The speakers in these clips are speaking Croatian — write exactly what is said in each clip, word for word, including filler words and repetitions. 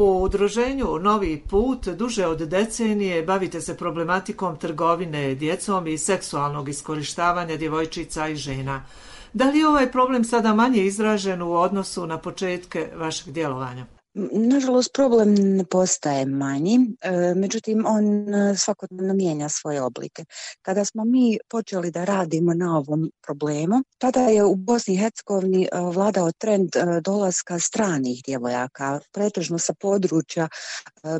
U udruženju Novi put duže od decenije bavite se problematikom trgovine djecom i seksualnog iskorištavanja djevojčica i žena. Da li je ovaj problem sada manje izražen u odnosu na početke vašeg djelovanja? Nažalost, problem ne postaje manji, međutim, on svakodnevno mijenja svoje oblike. Kada smo mi počeli da radimo na ovom problemu, tada je u Bosni i Hercegovini vladao trend dolaska stranih djevojaka, pretežno sa područja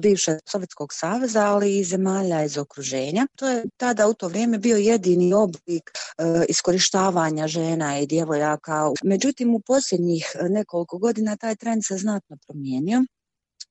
bivšeg Sovjetskog saveza, ali i zemalja iz okruženja. To je tada u to vrijeme bio jedini oblik iskorištavanja žena i djevojaka. Međutim, u posljednjih nekoliko godina taj trend se znatno promijenio.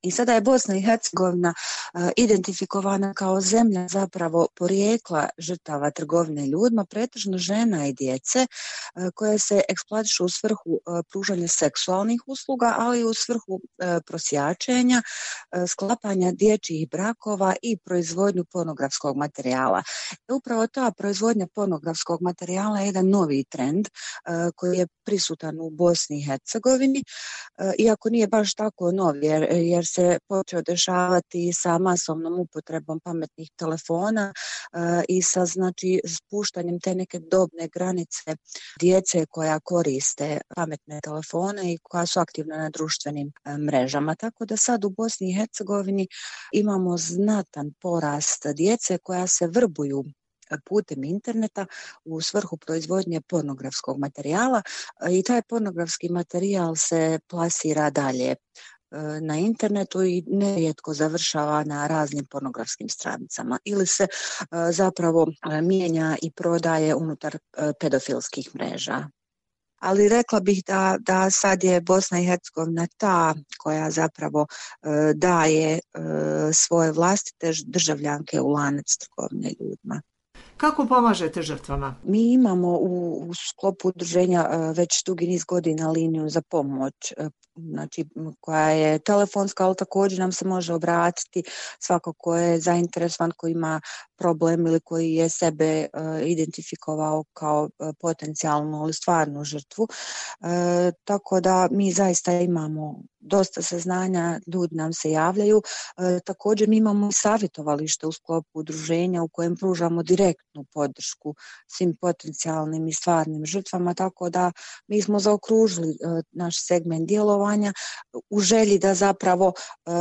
I sada je Bosna i Hercegovina uh, identifikovana kao zemlja zapravo porijekla žrtava trgovine ljudima, pretežno žena i djece uh, koje se eksploatišu u svrhu uh, pružanja seksualnih usluga, ali i u svrhu uh, prosjačenja, uh, sklapanja dječjih brakova i proizvodnju pornografskog materijala. I upravo ta proizvodnja pornografskog materijala je jedan novi trend uh, koji je prisutan u Bosni i Hercegovini, uh, iako nije baš tako novi, jer, jer se počeo dešavati sa masovnom upotrebom pametnih telefona uh, i sa znači spuštanjem te neke dobne granice djece koja koriste pametne telefone i koja su aktivna na društvenim uh, mrežama. Tako da sad u Bosni i Hercegovini imamo znatan porast djece koja se vrbuju putem interneta u svrhu proizvodnje pornografskog materijala i taj pornografski materijal se plasira dalje na internetu i nerijetko završava na raznim pornografskim stranicama ili se zapravo mijenja i prodaje unutar pedofilskih mreža. Ali rekla bih da, da sad je Bosna i Hercegovina ta koja zapravo e, daje e, svoje vlastite državljanke u lanac trgovine ljudima. Kako pomažete žrtvama? Mi imamo u, u sklopu udruženja već dugi niz godina liniju za pomoć, znači koja je telefonska, ali također nam se može obratiti svako ko je zainteresovan, ko ima problem ili koji je sebe uh, identifikovao kao uh, potencijalnu ili stvarnu žrtvu. Uh, tako da mi zaista imamo dosta saznanja, ljudi nam se javljaju. E, također mi imamo savjetovalište u sklopu udruženja u kojem pružamo direktnu podršku svim potencijalnim i stvarnim žrtvama, tako da mi smo zaokružili e, naš segment djelovanja u želji da zapravo e,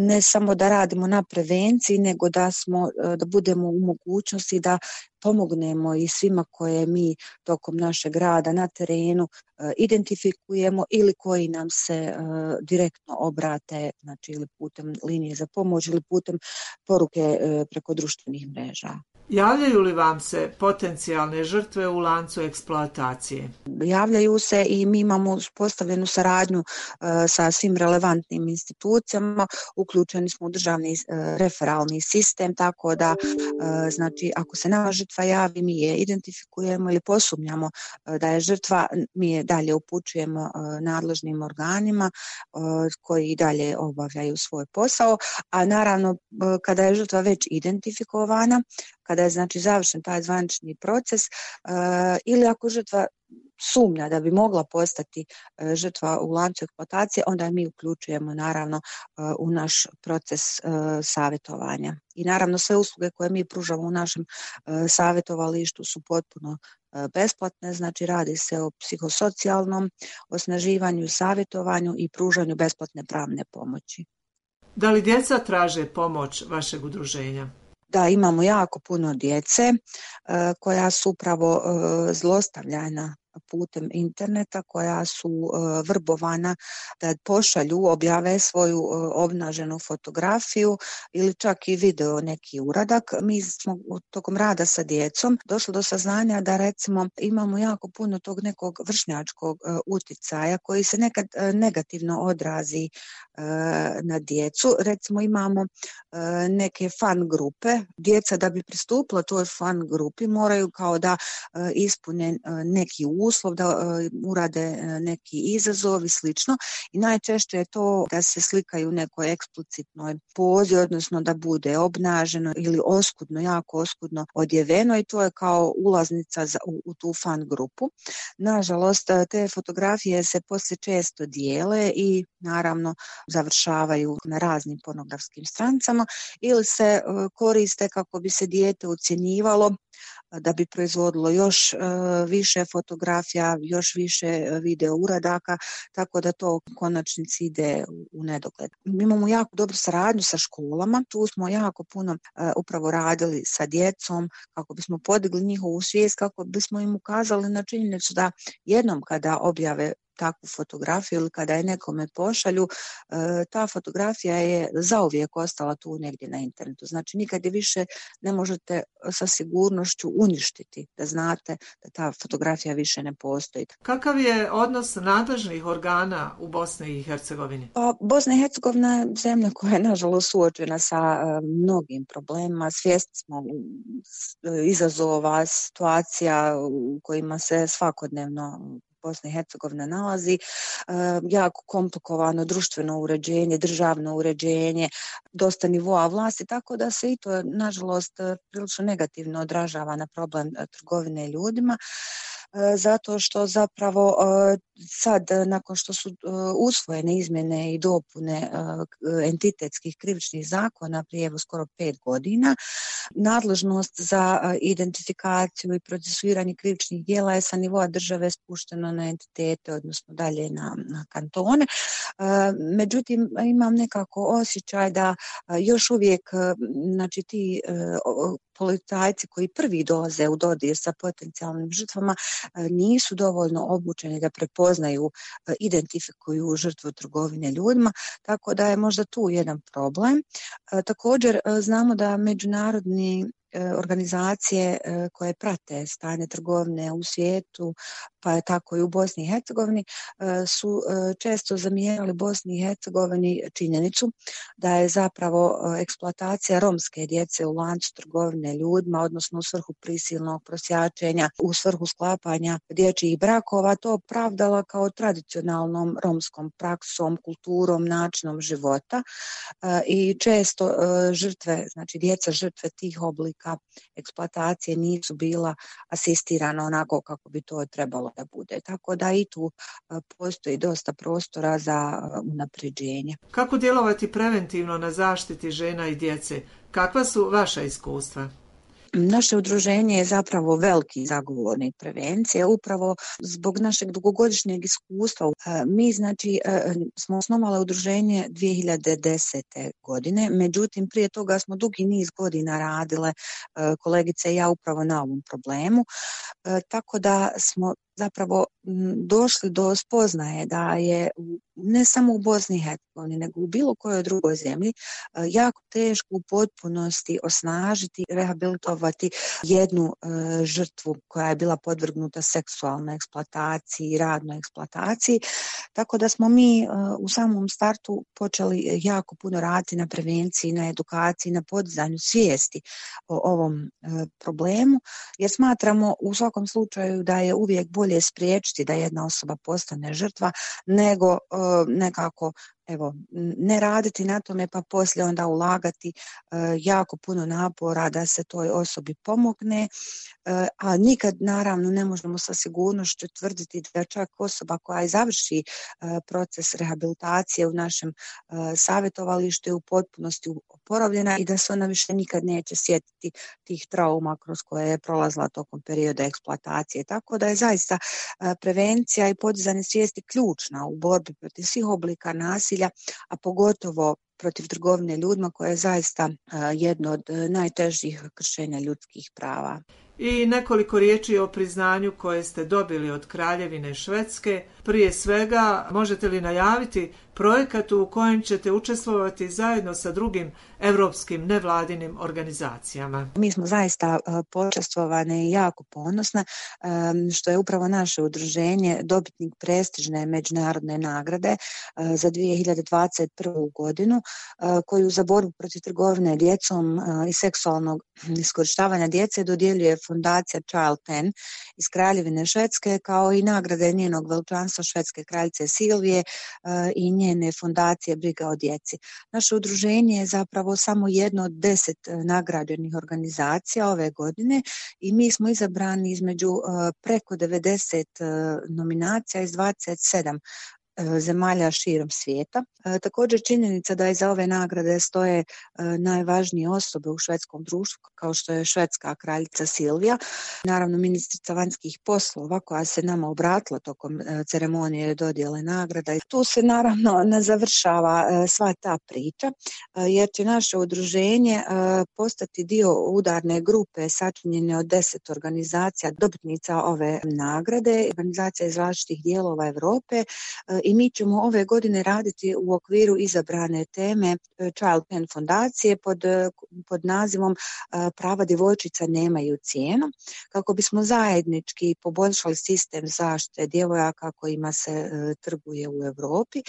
ne samo da radimo na prevenciji, nego da smo e, da budemo u mogućnosti da pomognemo i svima koje mi tokom našeg rada na terenu uh, identifikujemo ili koji nam se uh, direktno obrate, znači ili putem linije za pomoć ili putem poruke uh, preko društvenih mreža. Javljaju li vam se potencijalne žrtve u lancu eksploatacije? Javljaju se i mi imamo uspostavljenu saradnju uh, sa svim relevantnim institucijama, uključeni smo u državni uh, referalni sistem, tako da uh, znači ako se nama žrtva javi, mi je identifikujemo ili posumnjamo uh, da je žrtva, mi je dalje upućujemo uh, nadležnim organima uh, koji dalje obavljaju svoj posao, a naravno uh, kada je žrtva već identifikovana, kada je znači završen taj zvanični proces uh, ili ako žrtva sumnja da bi mogla postati uh, žrtva u lancu eksploatacije, onda mi uključujemo naravno uh, u naš proces uh, savjetovanja. I naravno sve usluge koje mi pružamo u našem uh, savjetovalištu su potpuno uh, besplatne, znači radi se o psihosocijalnom osnaživanju, savjetovanju i pružanju besplatne pravne pomoći. Da li djeca traže pomoć vašeg udruženja? Da, imamo jako puno djece uh, koja su upravo uh, zlostavljana putem interneta, koja su uh, vrbovana da pošalju, objave svoju uh, obnaženu fotografiju ili čak i video neki uradak. Mi smo tokom rada sa djecom došli do saznanja da recimo imamo jako puno tog nekog vršnjačkog uh, uticaja koji se nekad uh, negativno odrazi uh, na djecu. Recimo imamo uh, neke fan grupe. Djeca da bi pristupila toj fan grupi moraju kao da uh, ispune uh, neki uslov, da uh, urade uh, neki izazov i slično. I najčešće je to da se slikaju u nekoj eksplicitnoj pozi, odnosno da bude obnaženo ili oskudno, jako oskudno odjeveno i to je kao ulaznica za, u, u tu fan grupu. Nažalost, te fotografije se poslije često dijele i naravno završavaju na raznim pornografskim stranicama ili se koriste kako bi se dijete ucjenjivalo da bi proizvodilo još više fotografija, još više video uradaka, tako da to u konačnici ide u nedogled. Mi imamo jako dobru saradnju sa školama, tu smo jako puno upravo radili sa djecom kako bismo podigli njihovu svijest, kako bismo im ukazali na činjenicu da jednom kada objave takvu fotografiju ili kada je nekome pošalju, ta fotografija je zauvijek ostala tu negdje na internetu. Znači nikad je više ne možete sa sigurnošću uništiti, da znate da ta fotografija više ne postoji. Kakav je odnos nadležnih organa u Bosni i Hercegovini? Pa, Bosna i Hercegovina je zemlja koja je nažalost suočena sa mnogim problemima. Svjesni smo izazova, situacija u kojima se svakodnevno Bosna i Hercegovina nalazi, e, jako komplikovano društveno uređenje, državno uređenje, dosta nivoa vlasti, tako da se i to, nažalost, prilično negativno odražava na problem trgovine ljudima. Zato što zapravo sad, nakon što su usvojene izmjene i dopune entitetskih krivičnih zakona prije evo skoro pet godina, nadležnost za identifikaciju i procesuiranje krivičnih djela je sa nivoa države spušteno na entitete, odnosno dalje na, na kantone. Međutim, imam nekako osjećaj da još uvijek, znači ti policajci koji prvi dolaze u dodir sa potencijalnim žrtvama nisu dovoljno obučeni da prepoznaju, identifikuju žrtvu trgovine ljudima, tako da je možda tu jedan problem. Također znamo da međunarodni organizacije koje prate stanje trgovine u svijetu, pa je tako i u Bosni i Hercegovini, su često zamjerali Bosni i Hercegovini činjenicu da je zapravo eksploatacija romske djece u lancu trgovine ljudima, odnosno u svrhu prisilnog prosjačenja, u svrhu sklapanja dječjih brakova, to pravdala kao tradicionalnom romskom praksom, kulturom, načinom života i često žrtve, znači djeca žrtve tih oblika eksploatacije nisu bila asistirana onako kako bi to trebalo da bude. Tako da i tu postoji dosta prostora za unapređenje. Kako djelovati preventivno na zaštiti žena i djece? Kakva su vaša iskustva? Naše udruženje je zapravo veliki zagovornik prevencije, upravo zbog našeg dugogodišnjeg iskustva. Mi znači smo osnovali udruženje dvije hiljade desete. godine, međutim prije toga smo dugi niz godina radile kolegice i ja upravo na ovom problemu, tako da smo zapravo došli do spoznaje da je ne samo u Bosni i Hercegovini, nego u bilo kojoj drugoj zemlji jako teško u potpunosti osnažiti, rehabilitovati jednu e, žrtvu koja je bila podvrgnuta seksualnoj eksploataciji i radnoj eksploataciji. Tako da smo mi e, u samom startu počeli jako puno raditi na prevenciji, na edukaciji, na podizanju svijesti o ovom e, problemu, jer smatramo u svakom slučaju da je uvijek bolje spriječiti da jedna osoba postane žrtva nego e, nekako evo, ne raditi na tome pa poslije onda ulagati e, jako puno napora da se toj osobi pomogne, e, a nikad naravno ne možemo sa sigurnošću tvrditi da čak osoba koja završi e, proces rehabilitacije u našem e, savjetovalištu je u potpunosti oporavljena i da se ona više nikad neće sjetiti tih trauma kroz koje je prolazila tokom perioda eksploatacije. Tako da je zaista e, prevencija i podizanje svijesti ključna u borbi protiv svih oblika nasilja, a pogotovo protiv trgovine ljudima koja je zaista jedno od najtežih kršenja ljudskih prava. I nekoliko riječi o priznanju koje ste dobili od Kraljevine Švedske. Prije svega, možete li najaviti projekat u kojem ćete učestvovati zajedno sa drugim evropskim nevladinim organizacijama? Mi smo zaista počastvovane i jako ponosne što je upravo naše udruženje dobitnik prestižne međunarodne nagrade za dvije hiljade dvadeset prvu. godinu koju za borbu protiv trgovine djecom i seksualnog iskorištavanja djece dodjeljuje fondacija Child ten iz Kraljevine Švedske, kao i nagrade njenog veličanstva švedske kraljice Silvije i njene fondacije Briga o djeci. Naše udruženje je zapravo samo jedno od deset nagrađenih organizacija ove godine i mi smo izabrani između preko devedeset nominacija iz dvadeset sedam zemalja širom svijeta. Također činjenica da iza ove nagrade stoje najvažnije osobe u švedskom društvu, kao što je švedska kraljica Silvija, naravno ministrica vanjskih poslova koja se nama obratila tokom ceremonije dodjele nagrada. I tu se naravno ne završava sva ta priča, jer će naše udruženje postati dio udarne grupe sačinjene od deset organizacija dobitnica ove nagrade, organizacija iz različitih dijelova Europe, i mi ćemo ove godine raditi u okviru izabrane teme Child Pen fondacije pod, pod nazivom Prava djevojčica nemaju cijenu, kako bismo zajednički poboljšali sistem zaštite djevojaka kojima se trguje u Europi,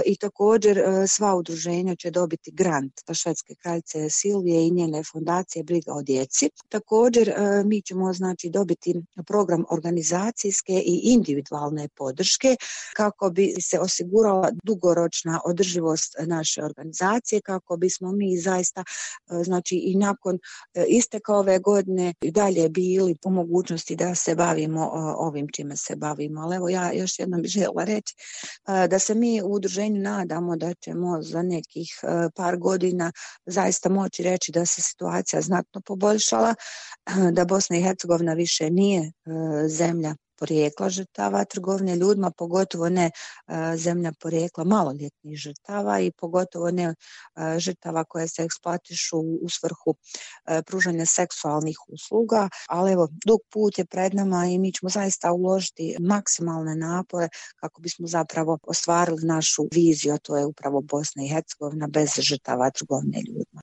i također sva udruženja će dobiti grant švedske kraljice Silvije i njene fondacije Briga o djeci. Također mi ćemo znači dobiti program organizacijske i individualne podrške kako bi se osigurala dugoročna održivost naše organizacije, kako bismo mi zaista znači i nakon isteka ove godine i dalje bili u mogućnosti da se bavimo ovim čime se bavimo. Ali evo ja još jednom bih željela reći da se mi u udruženju nadamo da ćemo za nekih par godina zaista moći reći da se situacija znatno poboljšala, da Bosna i Hercegovina više nije zemlja porijekla žrtava trgovine ljudima, pogotovo ne zemlja porijekla maloljetnih žrtava i pogotovo ne žrtava koje se eksploatišu u svrhu pružanja seksualnih usluga, ali evo, dug put je pred nama i mi ćemo zaista uložiti maksimalne napore kako bismo zapravo ostvarili našu viziju, a to je upravo Bosna i Hercegovina bez žrtava trgovine ljudima.